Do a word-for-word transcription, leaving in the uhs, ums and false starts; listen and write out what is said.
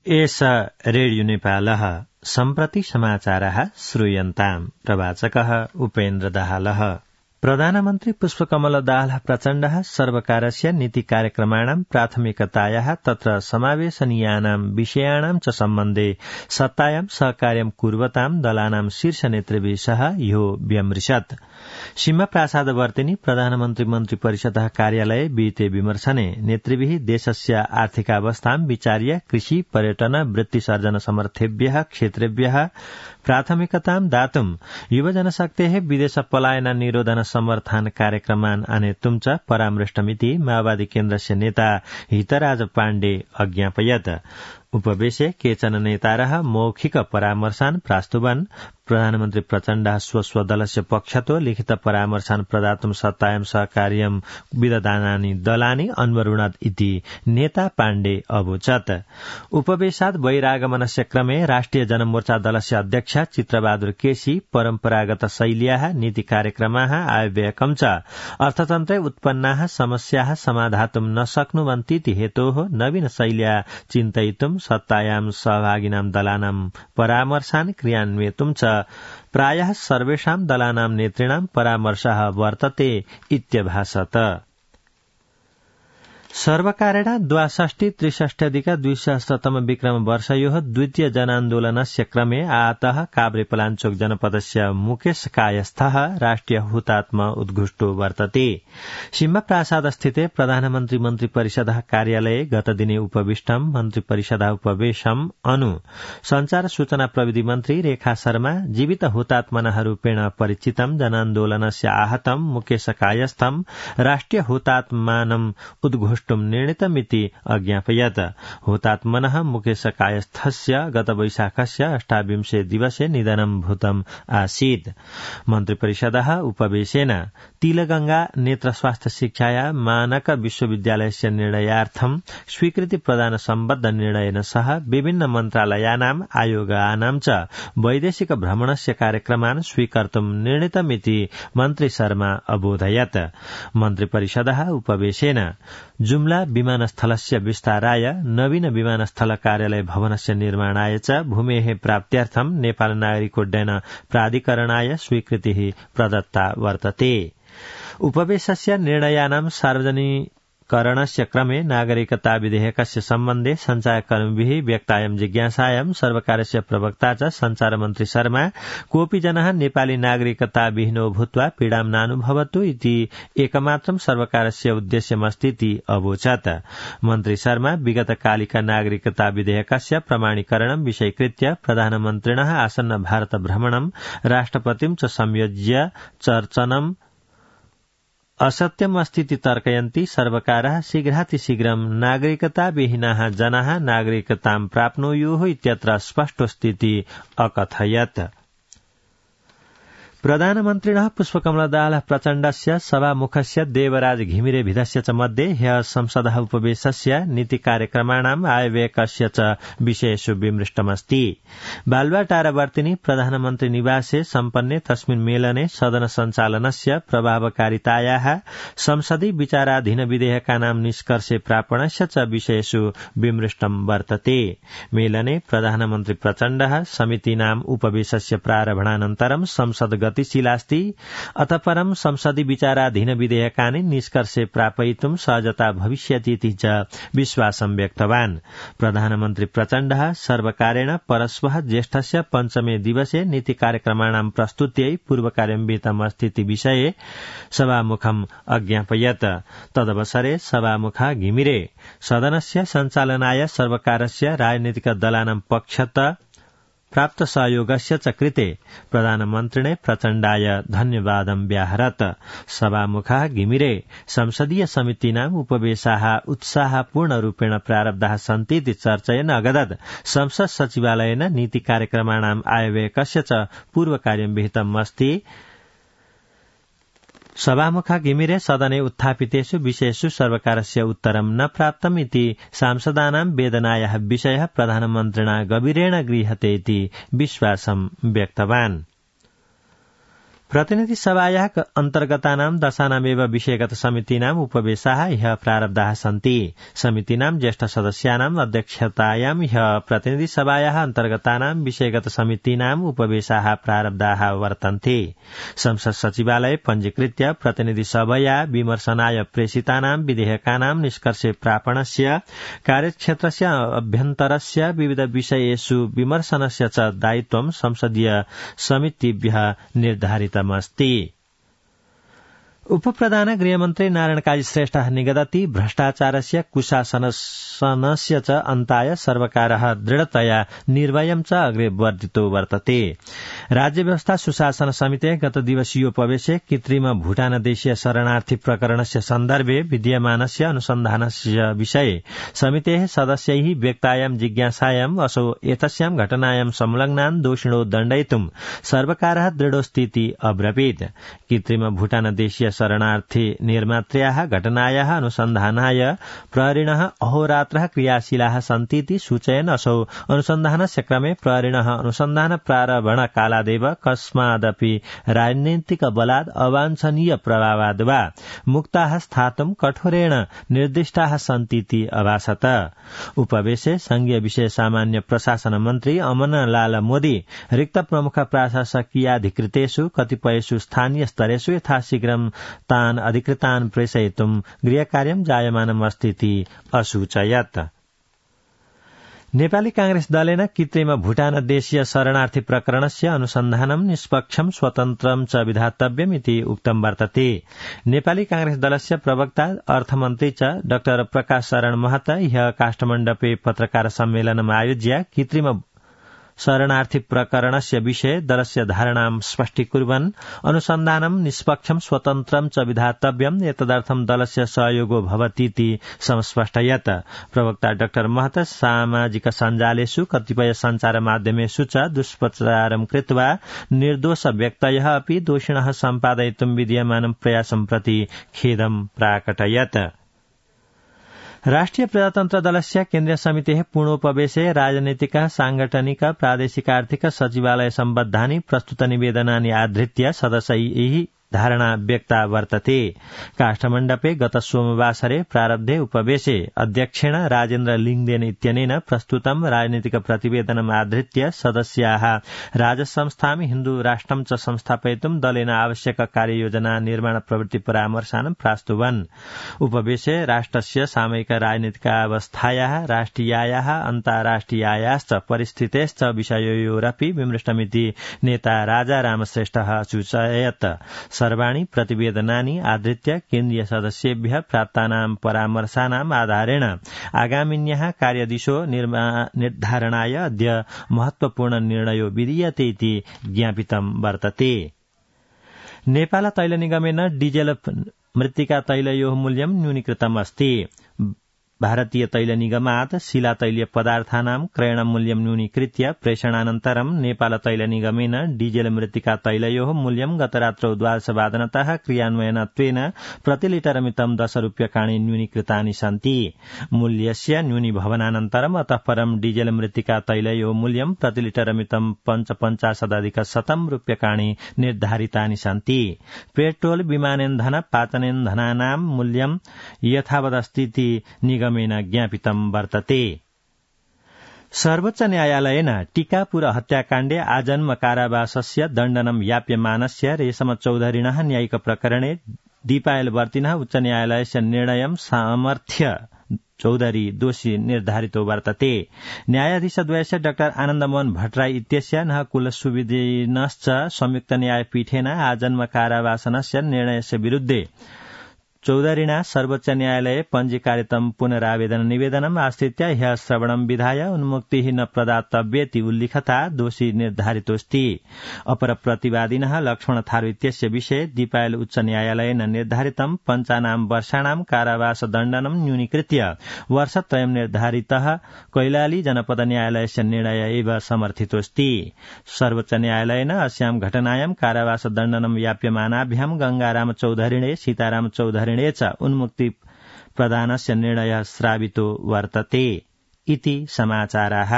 एष रेडियो नेपालः सम्प्रति समाचारः श्रूयन्ताम्। प्रवाचकः उपेन्द्र दाहालः। प्रधानमन्त्री पुष्पकमल दाहाल प्रचण्डः सर्वकारस्य नीति कार्यक्रमाणां प्राथमिकतायाः तत्र समावेशनीयानां विषयाणां च सम्बन्धे सत्तायां सहकार्यं कुर्वतां दलानां शीर्ष नेतृभिः सह ह्यो व्यमृशत्। सिंहप्रासादवर्तिनी प्रधानमन्त्री मन्त्री परिषदः कार्यालये विहिते विमर्शने नेतृभिः देशस्य आर्थिकावस्थां विचार्य कृषि पर्यटन वृत्तिसर्जन समर्थेभ्यः क्षेत्रेभ्यः प्राथमिकतां दातुं युवजनशक्तेः विदेश पलायन निरोधन समर्थन कार्यक्रमान् आनेतुं च परामृष्टमिति माओवादी केन्द्रस्य नेता हितराज पाण्डे अज्ञापयत्। उपवेशे केचन नेतारः मौखिक परामर्शान् प्रास्तुवन्। प्रधानमन्त्री प्रचण्डः स्वस्वदलस्य पक्षतो लिखित परामर्शान् प्रदातुं सत्तायां सहकार्यं विदधानानि दलानि अन्वरुणात् इति नेता पाण्डे अवोचत्। उपवेशात् बहिरागमनस्य क्रमे राष्ट्रिय जनमोर्चा दलस्य अध्यक्ष चित्रबहादुर केसी परम्परागत शैल्याः नीति कार्यक्रमाः आयव्ययकं च अर्थतन्त्रे उत्पन्नाः समस्याः समाधातुं न शक्नुवन्तीति हेतोः नवीन शैल्या चिन्तयितुं सत्तायां सहभागिनां दलानां परामर्शान् क्रियान्वयितुं च प्रायः सर्वेषां दलानां नेतृणां परामर्शः वर्तते इत्यभासत। सर्वकारेण द्वाषष्टि त्रिषष्ट्यधिक द्विसहस्रतम विक्रम वर्षयोः द्वितीय जनान्दोलनस्य क्रमे आतः काभ्रेपलाञ्चोक जनपदस्य मुकेश कायस्थः राष्ट्रिय हुतात्मा उद्घुष्टो वर्तते। सिंहप्रासादस्थिते प्रधानमन्त्री मन्त्री परिषदः कार्यालये गतदिने उपविष्टं मन्त्री परिषदः उपवेशम् अनु संचार सूचना प्रविधि मन्त्री रेखा शर्मा जीवित हुतात्मनः रूपेण परिचितं जनान्दोलनस्य आहतं मुकेश कायस्थं राष्ट्रिय हुतात्मानम् उद्घुष्ट निर्णीतमिति अज्ञापयत्। हुतात्मनः मुकेश कायस्थस्य गत वैशाखस्य अष्टाविंशे दिवसे निधनं भूतम् आसीत्। मन्त्रिपरिषदः उपवेशेन तिलगंगा नेत्र स्वास्थ्य शिक्षाया मानक विश्वविद्यालयस्य निर्णयार्थं स्वीकृति प्रदान सम्बद्ध निर्णयेन सह विभिन्न मन्त्रालयानाम् आयोगानां च वैदेशिक भ्रमणस्य कार्यक्रमान् स्वीकर्तुं निर्णीतमिति मन्त्री शर्मा अबोधयत्। मन्त्रिपरिषदः उपवेशेन जुम्ला विमानस्थलस्य विस्ताराय नवीन विमानस्थल कार्यालय भवनस्य निर्माणाय च भूमेः प्राप्त्यर्थं नेपाल नागरिकोड्डयन प्राधिकरणाय स्वीकृतिः प्रदत्ता वर्तते। उपवेशस्य निर्णयानां सार्वजनिकरणस्य क्रमे नागरिकता विधेयकस्य सम्बन्धे सञ्चारकर्मिभिः व्यक्तायां जिज्ञासायां सर्वकारस्य प्रवक्ता च सञ्चारमन्त्री शर्मा कोऽपि जनः नेपाली नागरिकता विहीनो भूत्वा पीडां नानुभवतु इति एकमात्रं सर्वकारस्य उद्देश्यमस्तीति अवोचत्। मन्त्री शर्मा विगतकालिका नागरिकता विधेयकस्य प्रमाणीकरणं विषयीकृत्य प्रधानमन्त्रिणः आसन्न भारत भ्रमणं राष्ट्रपतिं च संयोज्य चर्चनम् असत्यम् अस्तीति तर्कयन्ति सर्वकारः शीघ्रातिशीघ्रं नागरिकताविहीनाः जनाः नागरिकतां प्राप्नुयुः इत्यत्र स्पष्टोस्तीति अकथयत्। प्रधानमन्त्रिणः पुष्पकमल दाहाल प्रचण्डस्य सभामुखस्य देवराज घिमिरे भिदस्य च मध्ये ह्यः संसदः उपवेशस्य नीति कार्यक्रमाणाम् आयव्ययकस्य च विषयेषु विमृष्टमस्ति। बालुवाटारवर्तिनी प्रधानमन्त्री निवासे सम्पन्ने तस्मिन् मेलने सदन सञ्चालनस्य प्रभावकारितायाः संसदि विचाराधीन विधेयकानां निष्कर्षे प्रापणस्य च विषयेषु विमृष्टं वर्तते। मेलने प्रधानमन्त्री प्रचण्डः समितीनाम् उपवेशस्य प्रारम्भानन्तरं संसद गतिशीलास्ति अतः परं संसदि विचाराधीन विधेयकानि निष्कर्षे प्रापयितुं सहजता भविष्यतीति च विश्वासं व्यक्तवान्। प्रधानमन्त्री प्रचण्डः सर्वकारेण परश्वः ज्येष्ठस्य पञ्चमे दिवसे नीति कार्यक्रमाणां प्रस्तुत्यै पूर्वकार्यविहितमस्तीति विषये सभामुखम् अज्ञापयत्। तदवसरे सभामुखा घिमिरे सदनस्य सञ्चालनाय सर्वकारस्य राजनीतिक दलानां पक्षत प्राप्त सहयोगस्य च कृते प्रधानमन्त्रिणे प्रचण्डाय धन्यवादं व्याहरत्। सभामुखः घिमिरे संसदीय समितीनाम् उपवेशाः उत्साहपूर्णरूपेण प्रारब्धाः सन्तीति चर्चयन् अगदत् संसद सचिवालयेन नीति कार्यक्रमाणाम् आयव्ययकस्य च पूर्वकार्यं विहितम् अस्ति। सभामुखा घिमिरे सदने उत्थापितेषु विषयेषु सर्वकारस्य उत्तरं न प्राप्तम् इति सांसदानां वेदनायाः विषयः प्रधानमन्त्रिणा गभीरेण गृह्यते इति विश्वासं व्यक्तवान्। प्रतिनिधि सभायाः अन्तर्गतानां दशानामेव विषयगत समितीनाम् उपवेशाः ह्यः प्रारब्धाः सन्ति। समितीनां ज्येष्ठ सदस्यानाम् अध्यक्षतायां ह्यः प्रतिनिधि सभायाः अन्तर्गतानां विषयगत समितीनाम् उपवेशाः प्रारब्धाः वर्तन्ते। संसद सचिवालय पञ्जीकृत्य प्रतिनिधि सभया विमर्शनाय प्रेषितानां विधेयकानां निष्कर्षे प्रापणस्य कार्यक्षेत्रस्य अभ्यन्तरस्य विविध विषयेषु विमर्शनस्य च दायित्वं संसदीय समितिभ्यः निर्धारितमस्ति। उपप्रधान गृहमन्त्री नारायण काजी श्रेष्ठः निगदति भ्रष्टाचारस्य कुशासनस्य च अन्ताय सर्वकारः दृढतया निर्भयं च अग्रे वर्धितो वर्तते। राज्य व्यवस्था सुशासन समितेः गत दिवसीयोपवेशे कृत्रिम भूटानदेशीय शरणार्थी प्रकरणस्य सन्दर्भे विद्यमानस्य अनुसन्धानस्य विषये समितेः सदस्यैः व्यक्तायां जिज्ञासायाम् असौ एतस्यां घटनायां संलग्नान् दोषिणो दण्डयितुं सर्वकारः दृढोस्तीति अब्रवीत्। कृत्रिम भूटानदेशीय शरणार्थी निर्मात्र्याः घटनायाः अनुसन्धानाय प्रहरिणः अहोरात्रः क्रियाशीलाः सन्तीति सूचयन् असौ अनुसन्धानस्य क्रमे प्रहरिणः अनुसन्धान प्रारम्भण कालादेव कस्मादपि राजनीतिक बलात् अवाञ्छनीय प्रभावाद् वा मुक्ताः स्थातुं कठोरेण निर्दिष्टाः सन्तीति अभासत। उपवेशे संघीय विषय सामान्य प्रशासन मन्त्री अमनलाल मोदी रिक्त प्रमुख प्रशासकीयाधिकृतेषु कतिपयेषु स्थानीय स्तरेषु यथाशीघ्रं तान् अधिकृतान् प्रेषयितुं गृहकार्यं जायमानमस्तीति असूचयत्। नेपाली कांग्रेस दलेन कृत्रिम भूटानदेशीय शरणार्थी प्रकरणस्य अनुसन्धानं निष्पक्षं स्वतन्त्रं च विधातव्यम् इति उक्तं वर्तते। नेपाली कांग्रेस दलस्य प्रवक्ता अर्थमन्त्री च डाक्टर प्रकाश शरण महत ह्यः काष्ठमण्डपे पत्रकार सम्मेलनम् आयोज्य कृत्रिम शरणार्थी प्रकरणस्य विषये दलस्य धारणां स्पष्टीकुर्वन् अनुसन्धानं निष्पक्षं स्वतन्त्रं च विधातव्यम् एतदर्थं दलस्य सहयोगो भवतीति संस्पष्टयत्। प्रवक्ता डाक्टर महत सामाजिक सञ्जालेषु कतिपय सञ्चार माध्यमेषु च दुष्प्रचारं कृत्वा निर्दोष व्यक्तयः अपि दोषिणः सम्पादयितुं विद्यमानं प्रयासं प्रति खेदं प्राकटयत्। राष्ट्रिय प्रजातन्त्र दलस्य केन्द्रीय समितेः पूर्णोपवेशे राजनीतिक सांगठनिक प्रादेशिक आर्थिक सचिवालय सम्बद्धानि प्रस्तुत निवेदनानि आधृत्य सदस्यैः धारणा व्यक्ता वर्तते। काष्ठमण्डपे गत सोमवासरे प्रारब्धे उपवेशे अध्यक्षेण राजेन्द्र लिङदेन इत्यनेन प्रस्तुतं राजनीतिक प्रतिवेदनम् आधृत्य सदस्याः राजसंस्थां हिन्दू राष्ट्रं च संस्थापयितुं दलेन आवश्यक कार्ययोजना निर्माण प्रवृत्ति परामर्शान् प्रास्तुवन्। उपवेशे राष्ट्रस्य सामयिक राजनीतिकावस्थायाः राष्ट्रियायाः अन्ताराष्ट्रियायाश्च परिस्थितेश्च विषययोरपि विमृष्टमिति नेता राजा रामश्रेष्ठः सूचयत्। सर्वाणि प्रतिवेदनानि आधृत्य केन्द्रीय सदस्येभ्यः प्राप्तानां परामर्शानाम् आधारेण आगामिन्यः कार्यदिशो निर्धारणाय अद्य महत्वपूर्ण निर्णयो विधीयते इति ज्ञापितं वर्तते। नेपाल तैल निगमेन डीजेल मृत्तिका तैलयोः मूल्यं न्यूनीकृतम् अस्ति। भारतीय तैल निगमात् शिला तैलीय पदार्थानां क्रयणमूल्यं न्यूनीकृत्य प्रेषणानन्तरं नेपाल तैल निगमेन डीजेल मृत्तिका तैलयोः मूल्यं गतरात्रौ द्वादशवादनतः क्रियान्वयनत्वेन प्रतिलिटरमितं दश रूप्यकाणि न्यूनीकृतानि सन्ति। मूल्यस्य न्यूनीभवनानन्तरम् अतः परं डीजेल मृत्तिका तैलयोः मूल्यं प्रतिलिटरमितं पञ्चपञ्चाशदधिक शतं रूप्यकाणि निर्धारितानि सन्ति। पेट्रोल विमानेन्धन पाचनेन्धनानां मूल्यं यथावदस्तीति निगमेन ज्ञापितं वर्तते। सर्वोच्च न्यायालयेन टीकापुर हत्याकाण्डे आजन्म कारावासस्य दण्डनं याप्यमानस्य रेशम चौधरिणः न्यायिक प्रकरणे दीपायलवर्तिनः उच्च न्यायालयस्य निर्णयं समर्थ्य चौधरी दोषी निर्धारितो वर्तते। न्यायाधीशद्वयस्य डाक्टर आनन्दमोहन भट्टराई इत्यस्य नः कुलसुविधिनश्च संयुक्त न्यायपीठेन आजन्म कारावासनस्य निर्णयस्य विरुद्धे चौधरिणा सर्वोच्च न्यायालये पञ्जीकारितं पुनरावेदन निवेदनम् आश्रित्य ह्यः श्रवणं विधाय उन्मुक्तिः न प्रदातव्येति उल्लिखता दोषी निर्धारितोऽस्ति। अपर प्रतिवादिनः लक्ष्मण थारू इत्यस्य विषये दीपायल उच्च न्यायालयेन निर्धारितं पञ्चानां वर्षाणां कारावास दण्डनं न्यूनीकृत्य वर्षत्रयं निर्धारितः कैलाली जनपद न्यायालयस्य निर्णय एव समर्थितोऽस्ति। सर्वोच्च न्यायालयेन अस्यां घटनायां कारावास दण्डनं याप्यमानाभ्यां गंगाराम चौधरिणे सीताराम चौधरिणे च उन्मुक्ति प्रदानस्य निर्णयः श्रावितो वर्तते इति समाचाराः।